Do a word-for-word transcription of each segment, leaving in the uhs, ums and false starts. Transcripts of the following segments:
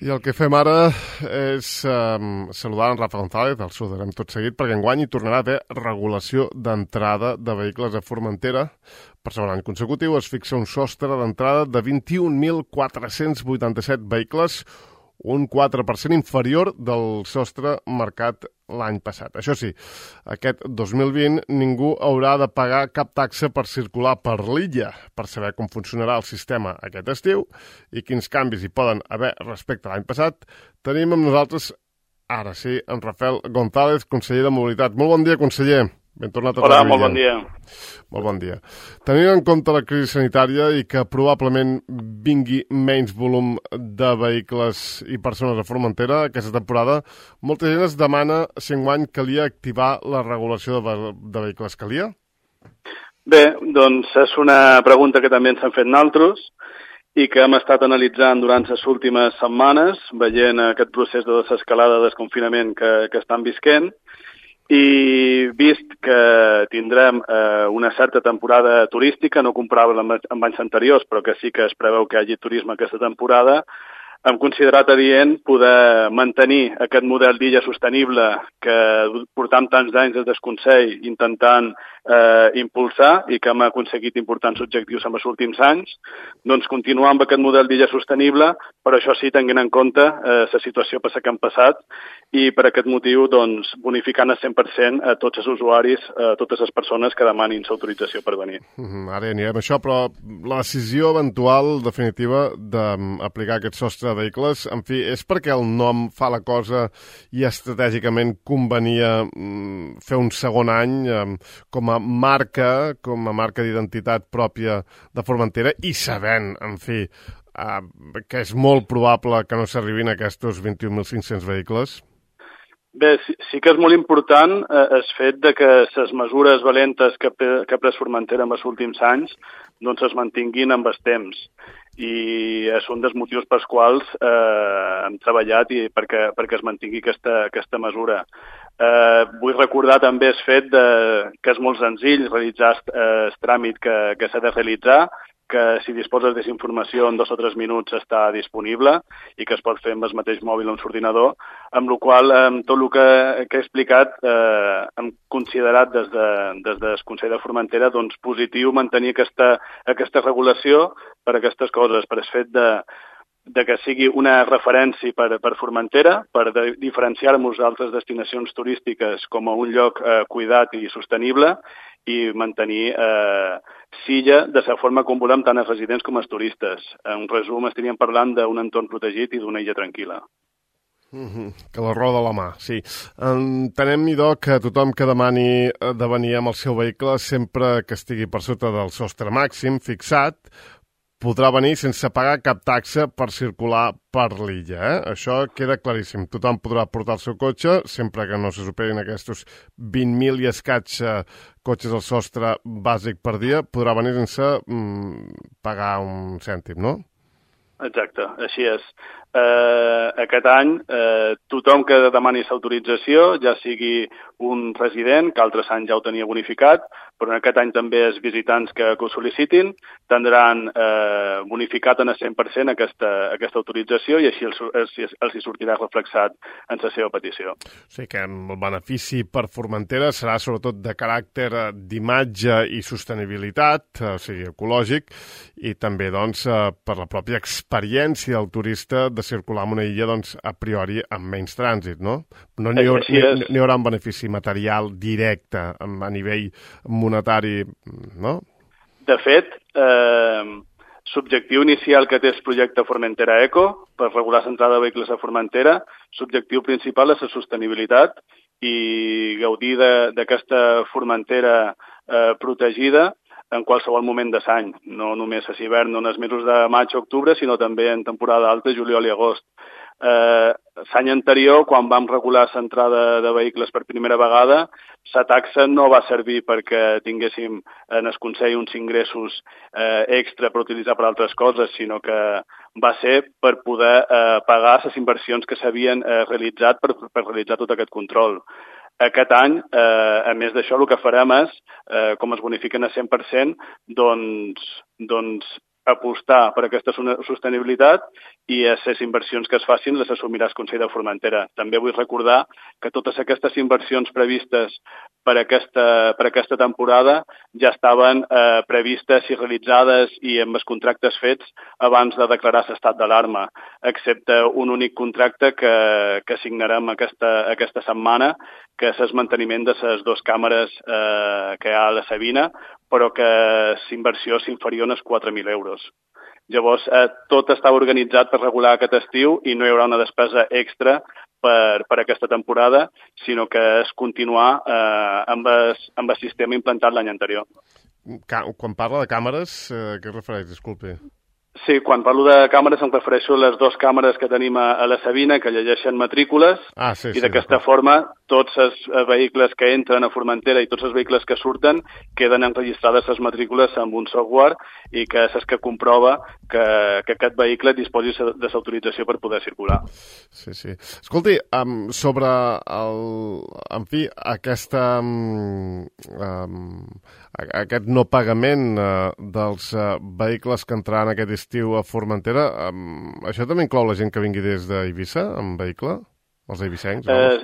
I el que fem ara és um, saludar en Rafa González, el saludarem tot seguit, perquè enguany hi tornarà a haver regulació d'entrada de vehicles a Formentera. Per segon any consecutiu es fixa un sostre d'entrada de vint-i-un mil quatre-cents vuitanta-set vehicles, un quatre per cent inferior del sostre marcat l'any passat. Això sí, aquest dos mil vint ningú haurà de pagar cap taxa per circular per l'illa. Per saber com funcionarà el sistema aquest estiu i quins canvis hi poden haver respecte a l'any passat, tenim amb nosaltres, ara sí, en Rafael González, conseller de Mobilitat. Molt bon dia, conseller. Ben tornat a Hola, molt bon dia. Molt bon dia. Tenint en compte la crisi sanitària i que probablement vingui menys volum de vehicles i persones a Formentera aquesta temporada, molta gent es demana si enguany calia activar la regulació de, de vehicles. Calia? Bé, doncs és una pregunta que també ens han fet naltros i que hem estat analitzant durant les últimes setmanes, veient aquest procés de desescalada de desconfinament que, que estan visquent, i vist que tindrem eh, una certa temporada turística, no comparable amb, amb anys anteriors, però que sí que es preveu que hi hagi turisme aquesta temporada, hem considerat adient poder mantenir aquest model d'illa sostenible que portam tants anys des del Consell intentant eh, impulsar i que hem aconseguit importants objectius en els últims anys, doncs continuar amb aquest model d'illa sostenible, però això sí, tenint en compte eh, la situació per la que hem passat i per aquest motiu doncs, bonificant al cent per cent a tots els usuaris, a totes les persones que demanin l'autorització per venir. Mm, ara ja anirem a això, però la decisió eventual definitiva d'aplicar aquest sostre de vehicles, en fi, és perquè el nom fa la cosa i estratègicament convenia mm, fer un segon any eh, com a marca, com a marca d'identitat pròpia de Formentera i sabent, en fi, eh, que és molt probable que no s'arribin a aquests vint-i-un mil cinc-cents vehicles? Bé, sí, sí que és molt important eh, el fet de que les mesures valentes que, que ha pres Formentera en els últims anys doncs es mantinguin amb el temps. I és un dels motius pels quals eh, hem treballat i perquè, perquè es mantingui aquesta, aquesta mesura. Eh, vull recordar també el fet de, que és molt senzill realitzar eh, el tràmit que, que s'ha de realitzar, que si disposes d'informació en dos o tres minuts està disponible i que es pot fer amb el mateix mòbil o amb l'ordinador, amb la qual amb tot el que, que he explicat eh, hem considerat des, de, des del Consell de Formentera doncs, positiu mantenir aquesta, aquesta regulació per aquestes coses, per el fet de, de que sigui una referència per, per Formentera, per de, diferenciar-nos d'altres destinacions turístiques com a un lloc eh, cuidat i sostenible i mantenir eh, Silla de la forma com volem tant els residents com els turistes. En resum, estaríem parlant d'un entorn protegit i d'una illa tranquil·la. Mm-hmm. Que la roda a la mà, sí. Entenem, idò, que tothom que demani de venir amb el seu vehicle, sempre que estigui per sota del sostre màxim fixat, podrà venir sense pagar cap taxa per circular per l'illa. Eh? Això queda claríssim. Tothom podrà portar el seu cotxe, sempre que no se superin aquests vint mil i escaig eh, cotxes al sostre bàsic per dia, podrà venir sense mm, pagar un cèntim, no? Exacte, així és. Eh, aquest any eh, tothom que demani l'autorització, ja sigui un resident, que altres anys ja ho tenia bonificat, però en aquest any també els visitants que, que ho sol·licitin tindran eh, bonificat en el cent per cent aquesta, aquesta autorització i així els, els, els hi sortirà reflexat en la seva petició. O sigui que el benefici per Formentera serà sobretot de caràcter d'imatge i sostenibilitat, o sigui, ecològic, i també doncs, per la pròpia experiència del turista de circular en una illa doncs, a priori amb menys trànsit, no? No n'hi haurà, ni, ni haurà un benefici material directe a nivell monetari, no? De fet, eh, l'objectiu inicial que té el projecte Formentera Eco per regular l'entrada de vehicles a Formentera, l'objectiu principal és la sostenibilitat i gaudir d'aquesta Formentera eh, protegida en qualsevol moment de l'any, no només a l'hivern, no en els mesos de maig o octubre, sinó també en temporada alta, juliol i agost. Eh, l'any anterior, quan vam regular l'entrada de vehicles per primera vegada, la taxa no va servir perquè tinguéssim en el Consell uns ingressos eh, extra per utilitzar per altres coses, sinó que va ser per poder eh, pagar les inversions que s'havien eh, realitzat per, per realitzar tot aquest control. Aquest any, eh, a més d'això, el que farem és, eh, com es bonifiquen a cent per cent, doncs, doncs apostar per aquesta sostenibilitat i les inversions que es facin les assumirà el Consell de Formentera. També vull recordar que totes aquestes inversions previstes per aquesta, per aquesta temporada ja estaven eh, previstes i realitzades i amb els contractes fets abans de declarar l'estat d'alarma, excepte un únic contracte que, que signarem aquesta, aquesta setmana, que és el manteniment de les dues càmeres eh, que hi ha a la Sabina, però que l'inversió és inferior als quatre mil euros. Llavors, eh, tot està organitzat per regular aquest estiu i no hi haurà una despesa extra per, per aquesta temporada, sinó que és continuar eh, amb, el, amb el sistema implantat l'any anterior. Quan parla de càmeres, eh, què es refereix? Disculpi. Sí, quan parlo de càmeres em refereixo a les dues càmeres que tenim a, a la Sabina, que llegeixen matrícules, ah, sí, i sí, d'aquesta forma tots els vehicles que entren a Formentera i tots els vehicles que surten queden enregistrades les matrícules amb un software i que és el que comprova que, que aquest vehicle disposi de l'autorització per poder circular. Sí, sí. Escolti, um, sobre el, en fi, aquesta, um, um, aquest no pagament uh, dels uh, vehicles que entraran aquest estiu a Formentera, um, això també inclou la gent que vingui des d'Eivissa amb vehicle? Els eivissencs? Eh,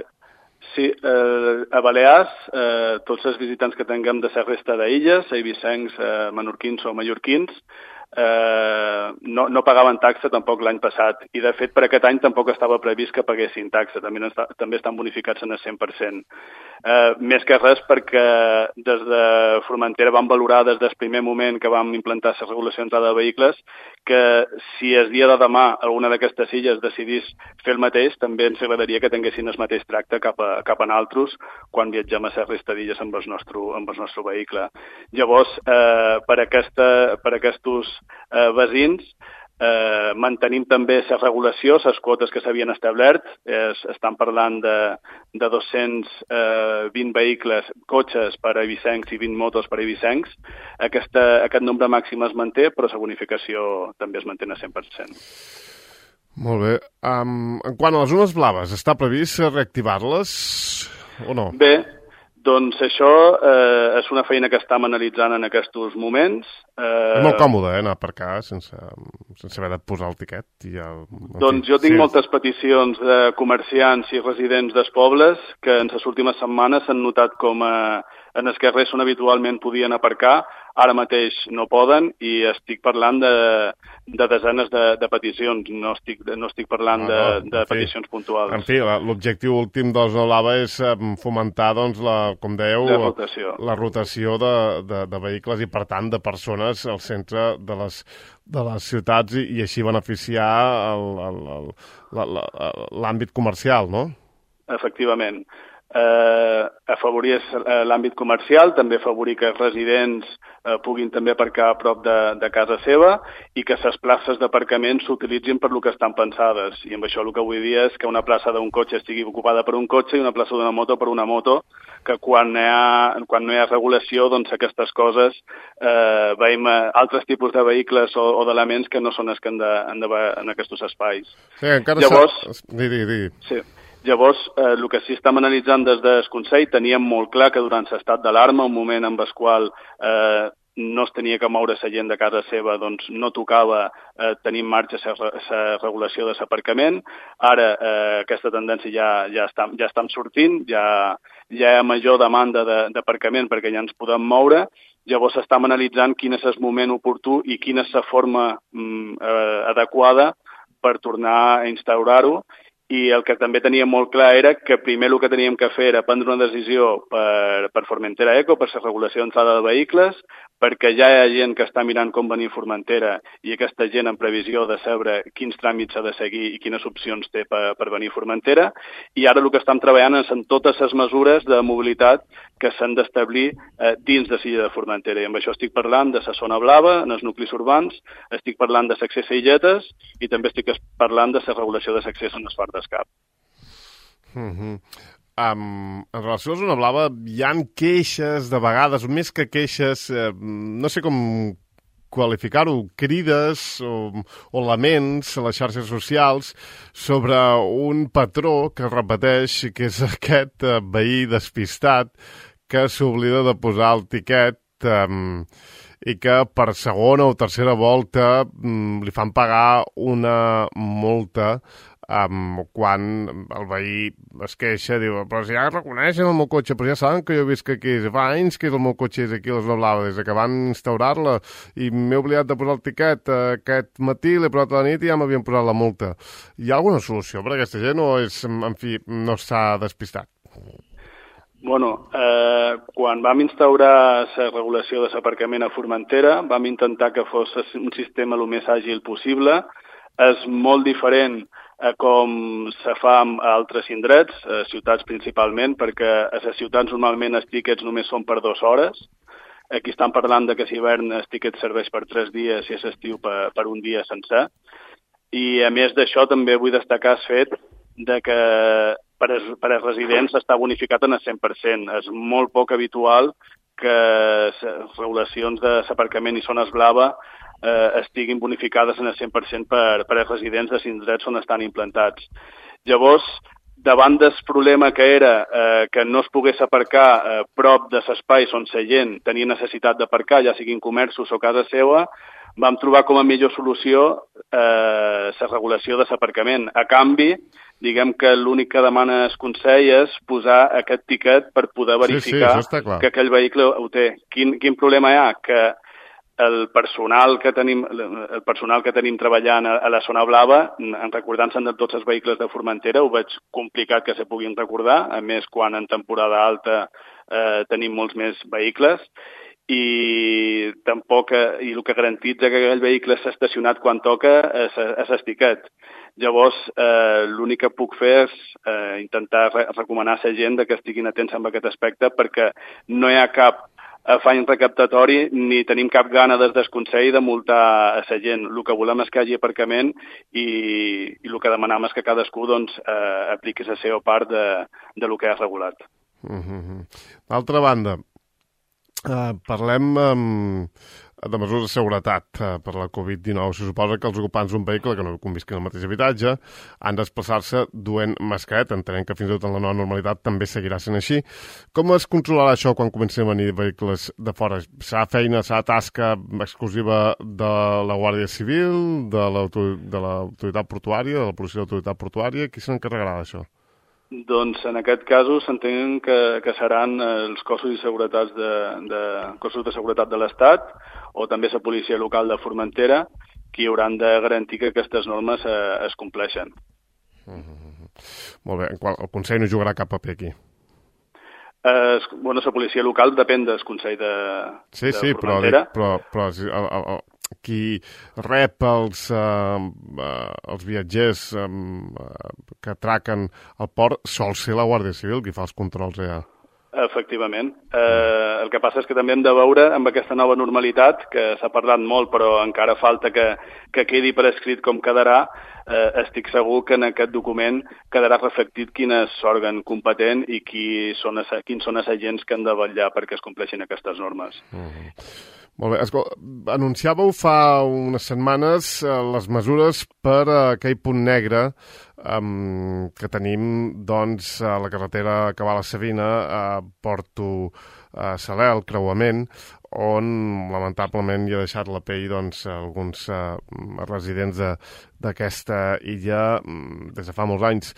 sí, eh, a Balears, eh, tots els visitants que tinguem de la resta d'illes, eivissencs, eh, menorquins o mallorquins, eh, no, no pagaven taxa tampoc l'any passat, i de fet per aquest any tampoc estava previst que paguessin taxa, també, està, també estan bonificats en el cent per cent. Eh, més que res perquè des de Formentera vam valorar des del primer moment que vam implantar la regulació d'entrada de vehicles que si el dia de demà alguna d'aquestes illes decidís fer el mateix, també ens agradaria que tinguessin el mateix tracte cap a, cap a nosaltres quan viatgem a la resta d'illes amb el nostre, amb el nostre vehicle. Llavors, eh, per, aquesta, per aquests eh, veïns, Eh, mantenim també la regulació, les quotes que s'havien establert, es, estan parlant de, de dos-cents vint vehicles, cotxes per a eivissencs i vint motos per a eivissencs. Aquesta, aquest nombre màxim es manté, però la bonificació també es manté a cent per cent. Molt bé. Um, en quant a les zones blaves, està previst reactivar-les o no? Bé, doncs això eh, és una feina que estem analitzant en aquests moments. Eh... És molt còmode, eh, anar a aparcar sense, sense haver de posar el tiquet. I el... Doncs jo tinc sí. moltes peticions de comerciants i residents dels pobles que en les últimes setmanes s'han notat com a, en els carrers on habitualment podien aparcar, ara mateix no poden, i estic parlant de, de desenes de, de peticions, no estic, no estic parlant no, no, de, de peticions fi, puntuals. En fi, l'objectiu últim de la zona blava és fomentar, doncs, la, com dèieu, la rotació, la rotació de, de, de vehicles i, per tant, de persones al centre de les, de les ciutats i, i així beneficiar l'àmbit comercial, no? Efectivament. Eh, afavorir l'àmbit comercial, també afavorir que els residents eh, puguin també aparcar a prop de, de casa seva i que les places d'aparcament s'utilitzin per lo que estan pensades. I amb això el que vull dir és que una plaça d'un cotxe estigui ocupada per un cotxe i una plaça d'una moto per una moto, que quan, hi ha, quan no hi ha regulació, doncs aquestes coses eh, veiem altres tipus de vehicles o, o d'elements que no són els que han de, han de en aquests espais. Sí, encara Llavors, di, di, di. Sí. Llavors, eh, el que sí estem analitzant des del Consell, teníem molt clar que durant l'estat d'alarma, un moment en el qual eh, no es tenia que moure la gent de casa seva, doncs no tocava eh, tenir en marxa la regulació de l'aparcament. Ara eh, aquesta tendència ja, ja, està, ja estem sortint, ja, ja hi ha major demanda d'aparcament perquè ja ens podem moure. Llavors estem analitzant quin és el moment oportú i quina és la forma mm, eh, adequada per tornar a instaurar-ho. I el que també teníem molt clar era que primer el que teníem que fer era prendre una decisió per, per Formentera Eco, per la regulació d'entrada de vehicles, perquè ja hi ha gent que està mirant com venir a Formentera i aquesta gent en previsió de saber quins tràmits s'ha de seguir i quines opcions té per, per venir a Formentera. I ara el que estem treballant és en totes les mesures de mobilitat que s'han d'establir eh, dins de l'illa de Formentera. I amb això estic parlant de la zona blava, en els nuclis urbans, estic parlant de l'accés a illetes i també estic parlant de la regulació de l'accés en les Fart d'Escap. Mm-hmm. Um, en relació a la zona blava, hi ha queixes de vegades, més que queixes, eh, no sé com qualificar-ho, crides o, o laments a les xarxes socials sobre un patró que es repeteix, que és aquest eh, veí despistat que s'oblida de posar el tiquet um, i que per segona o tercera volta mm, li fan pagar una multa um, quan el veí es queixa, diu, però si ja reconeixen el meu cotxe, però ja saben que jo visc aquí, fa anys que el meu cotxe és aquí a les Blava, des que van instaurar-la, i m'he oblidat de posar el tiquet aquest matí, l'he posat a la nit i ja m'havien posat la multa. Hi ha alguna solució per a aquesta gent o és, en fi, no s'ha despistat? Bueno, eh, quan vam instaurar la regulació de l'aparcament a Formentera, vam intentar que fos un sistema el més àgil possible. És molt diferent a com se fa a altres indrets, a ciutats principalment, perquè a les ciutats normalment els tíquets només són per dues hores. Aquí estan parlant de que si hivern el tíquet serveix per tres dies i és estiu per, per un dia sencer. I a més d'això també vull destacar el fet de que per als, per als residents està bonificat en el cent per cent. És molt poc habitual que les regulacions de l'aparcament i zones blava eh, estiguin bonificades en el cent per cent per, per als residents de indrets on estan implantats. Llavors, davant del problema que era eh, que no es pogués aparcar eh, prop de l'espai on la gent tenia necessitat d'aparcar, ja siguin comerços o casa seva, vam trobar com a millor solució eh, la regulació de l'aparcament. A canvi, diguem que l'únic que demana el Consell és posar aquest tiquet per poder verificar sí, sí, que aquell vehicle ho té. Quin, quin problema hi ha? Que el personal que tenim, el personal que tenim treballant a, a la zona blava, en recordant-se'n de tots els vehicles de Formentera, ho veig complicat que se puguin recordar, a més quan en temporada alta eh, tenim molts més vehicles, i tampoc, i el que garantitza que aquell vehicle s'ha estacionat quan toca és, és el tiquet. Llavors, eh, l'únic que puc fer és eh, intentar re recomanar a la gent que estiguin atents amb aquest aspecte, perquè no hi ha cap afany recaptatori ni tenim cap gana des del Consell de multar a la gent. El que volem és que hi hagi aparcament i, i el que demanem és que cadascú doncs, eh, apliqui la seva part de, de lo que ha regulat. Mm-hmm. D'altra banda, Uh, parlem um, de mesures de seguretat uh, per la covid dinou. Se suposa que els ocupants d'un vehicle que no convisquin al mateix habitatge han de desplaçar-se duent mascareta. Entenem que fins i tot en la nova normalitat també seguirà sent així. Com es controlarà això quan comencin a venir vehicles de fora? Serà feina, serà tasca exclusiva de la Guàrdia Civil, de l'autoritat portuària, de la policia de l'autoritat portuària? Qui s'encarregarà d'això? Doncs en aquest cas s'entén que, que seran els cossos de seguretat de, de, cossos de seguretat de l'Estat o també la policia local de Formentera qui hauran de garantir que aquestes normes eh, es compleixen. Mm-hmm. Molt bé. El Consell no jugarà cap paper aquí? Eh, bueno, la policia local depèn del Consell de, sí, de sí, Formentera. Sí, però, però, però el, el, el, qui rep els, uh, uh, els viatgers um, uh, que atraquen al port sol ser la Guàrdia Civil qui fa els controls allà. Efectivament. Eh, el que passa és que també hem de veure amb aquesta nova normalitat, que s'ha parlat molt però encara falta que, que quedi per escrit com quedarà. Eh, estic segur que en aquest document quedarà reflectit quin és l'òrgan competent i qui són, quins són els agents que han de vetllar perquè es compleixin aquestes normes. Uh-huh. Molt bé. Escolta, anunciàveu fa unes setmanes eh, les mesures per a aquell punt negre um, que tenim doncs, a la carretera que va a la Savina, a Porto a Saler, el creuament, on lamentablement hi ha deixat la pell doncs, alguns uh, residents d'aquesta illa um, des de fa molts anys.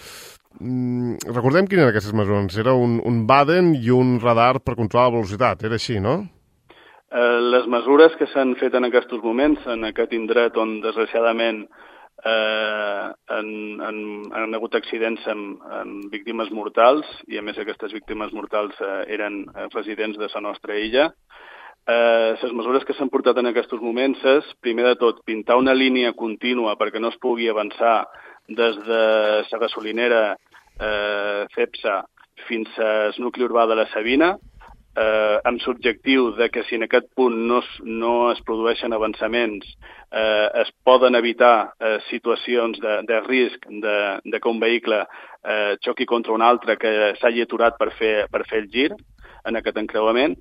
Um, recordem quines eren aquestes mesures. Era un, un Baden i un radar per controlar la velocitat. Era així, no? Les mesures que s'han fet en aquests moments, en aquest indret on desgraciadament eh, han, han, han hagut accidents amb, amb víctimes mortals, i a més aquestes víctimes mortals eh, eren residents de la nostra illa. Eh, les mesures que s'han portat en aquests moments és, primer de tot, pintar una línia contínua perquè no es pugui avançar des de la gasolinera eh, Cepsa fins al nucli urbà de la Savina, Eh, amb l'objectiu de que si en aquest punt no es, no es produeixen avançaments eh, es poden evitar eh, situacions de, de risc de, de que un vehicle eh, xoqui contra un altre que s'hagi aturat per fer, per fer el gir en aquest encreuament.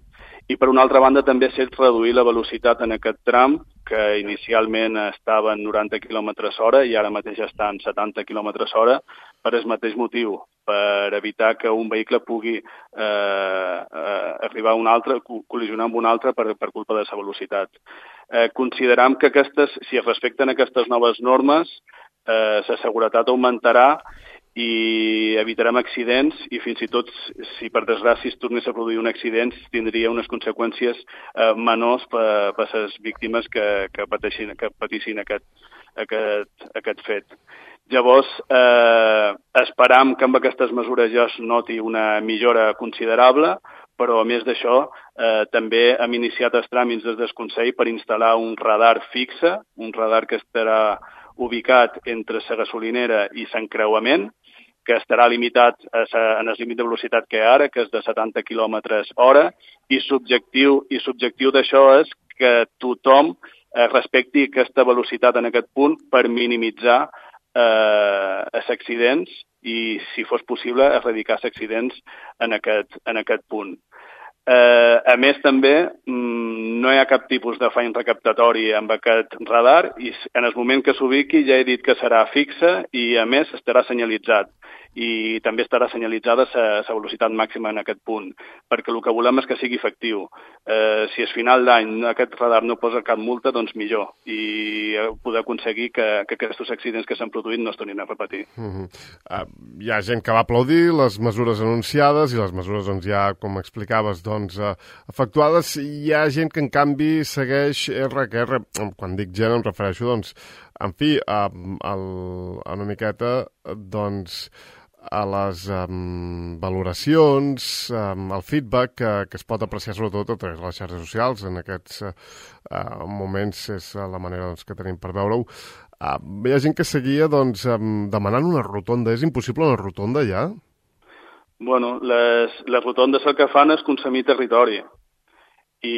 i per una altra banda també s'ha reduir la velocitat en aquest tram, que inicialment estava en noranta quilòmetres hora i ara mateix està en setanta quilòmetres hora, per el mateix motiu, per evitar que un vehicle pugui eh, eh, arribar a un altre, col·lisionar amb un altre per, per culpa de la velocitat. Eh, consideram que aquestes, si es respecten aquestes noves normes, eh, la seguretat augmentarà i evitarem accidents i fins i tot, si per desgràcia es tornés a produir un accident, tindria unes conseqüències eh, menors per, per les víctimes que, que pateixin, que patissin aquest, aquest, aquest fet. Llavors, eh, esperam que amb aquestes mesures ja es noti una millora considerable, però a més d'això eh, també hem iniciat els tràmits des del Consell per instal·lar un radar fixe, un radar que estarà ubicat entre la gasolinera i l'encreuament, que estarà limitat a sa, en el límit de velocitat que hi ha ara, que és de setanta quilòmetres hora, i l'objectiu i l'objectiu d'això és que tothom eh, respecti aquesta velocitat en aquest punt per minimitzar eh, els accidents i, si fos possible, erradicar els accidents en aquest, en aquest punt. Eh, a més, també, no hi ha cap tipus d'afany recaptatori amb aquest radar i en el moment que s'ubiqui ja he dit que serà fixe i, a més, estarà senyalitzat. I també estarà senyalitzada la velocitat màxima en aquest punt, perquè el que volem és que sigui efectiu. Eh, si al final d'any aquest radar no posa cap multa, doncs millor, i poder aconseguir que, que aquests accidents que s'han produït no es tornin a repetir. Uh-huh. uh, hi ha gent que va aplaudir les mesures anunciades i les mesures doncs, ja, com explicaves, doncs, uh, efectuades. Hi ha gent que, en canvi, segueix erra que erra. Quan dic gent em refereixo, doncs, en fi, a, a, a una miqueta, doncs, a les um, valoracions, um, al feedback que, que es pot apreciar sobretot a través de les xarxes socials. En aquests uh, moments és la manera doncs, que tenim per veure-ho. Uh, hi ha gent que seguia doncs, um, demanant una rotonda. És impossible una rotonda ja? Bueno, les, les rotondes el que fan és consumir territori. I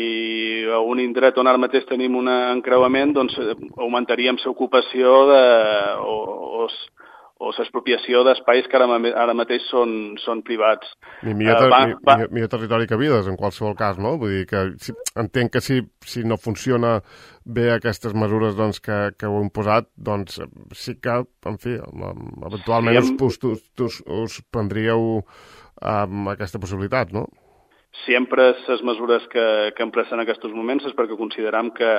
a un indret on ara mateix tenim un encreuament, doncs augmentaríem l'ocupació de, o, o, o l'expropiació d'espais que ara, ara mateix són, són privats. I millor, ter uh, va, va... millor, millor territori que vides, en qualsevol cas, no? Vull dir que si, entenc que si, si no funciona bé aquestes mesures doncs, que, que heu imposat, doncs sí que, en fi, eventualment sí, us, us, us, us prendríeu um, aquesta possibilitat, no? Sempre les mesures que, que hem pres en aquests moments és perquè consideram que,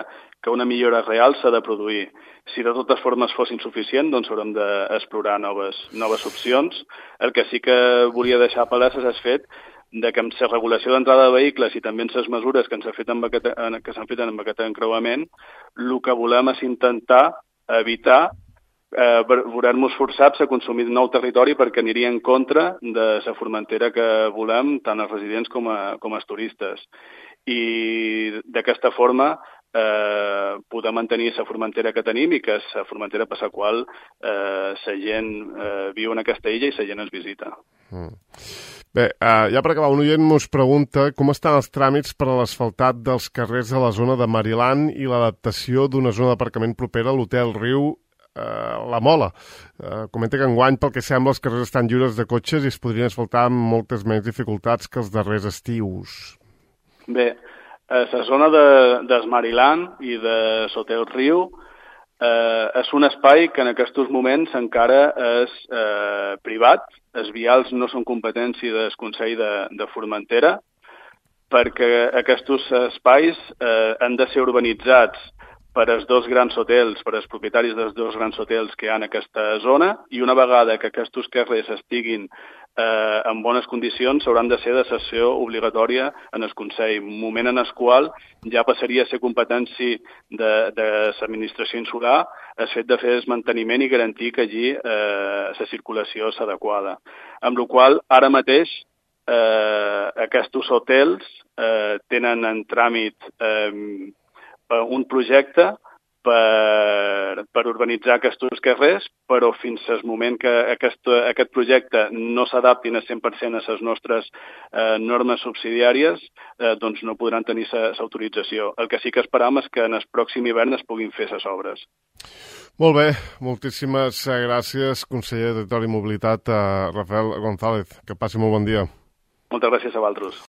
que una millora real s'ha de produir. Si de totes formes fos insuficient, doncs haurem d'explorar noves, noves opcions. El que sí que volia deixar palès és el fet de que amb la regulació d'entrada de vehicles i també amb les mesures que s'han fet amb aquest, que s'han fet amb aquest encreuament, el que volem és intentar evitar Eh, veurem-nos forçats a consumir nou territori perquè aniria en contra de la Formentera que volem, tant els residents com, a, com els turistes. I d'aquesta forma eh, poder mantenir la Formentera que tenim i que és la Formentera per la qual eh, la gent eh, viu en aquesta illa i la gent ens visita. Mm. Bé, uh, ja per acabar, un oient mos pregunta com estan els tràmits per a l'asfaltat dels carrers a la zona de Mariland i l'adaptació d'una zona d'aparcament propera a l'Hotel Riu Uh, la Mola. Uh, comenta que enguany, pel que sembla, els carrers estan lliures de cotxes i es podrien asfaltar amb moltes menys dificultats que els darrers estius. Bé, a la zona de, del Mariland i de l'Hotel Riu eh, és un espai que en aquests moments encara és eh, privat. Els vials no són competència del Consell de, de Formentera, perquè aquests espais eh, han de ser urbanitzats per als dos grans hotels, per als propietaris dels dos grans hotels que hi ha en aquesta zona, i una vegada que aquests carrers estiguin eh, en bones condicions, hauran de ser de cessió obligatòria en el Consell, moment en el qual ja passaria a ser competència de, de l'administració insular el fet de fer el manteniment i garantir que allí eh, la circulació és adequada. Amb la qual cosa, ara mateix, eh, aquests hotels eh, tenen en tràmit eh, un projecte per, per urbanitzar aquests carrers, però fins al moment que aquest, aquest projecte no s'adaptin a cent per cent a les nostres eh, normes subsidiàries, eh, doncs no podran tenir l'autorització. El que sí que esperam és que en el pròxim hivern es puguin fer les obres. Molt bé, moltíssimes gràcies, conseller de Territori i Mobilitat, Rafael González. Que passi molt bon dia. Moltes gràcies a vosaltres.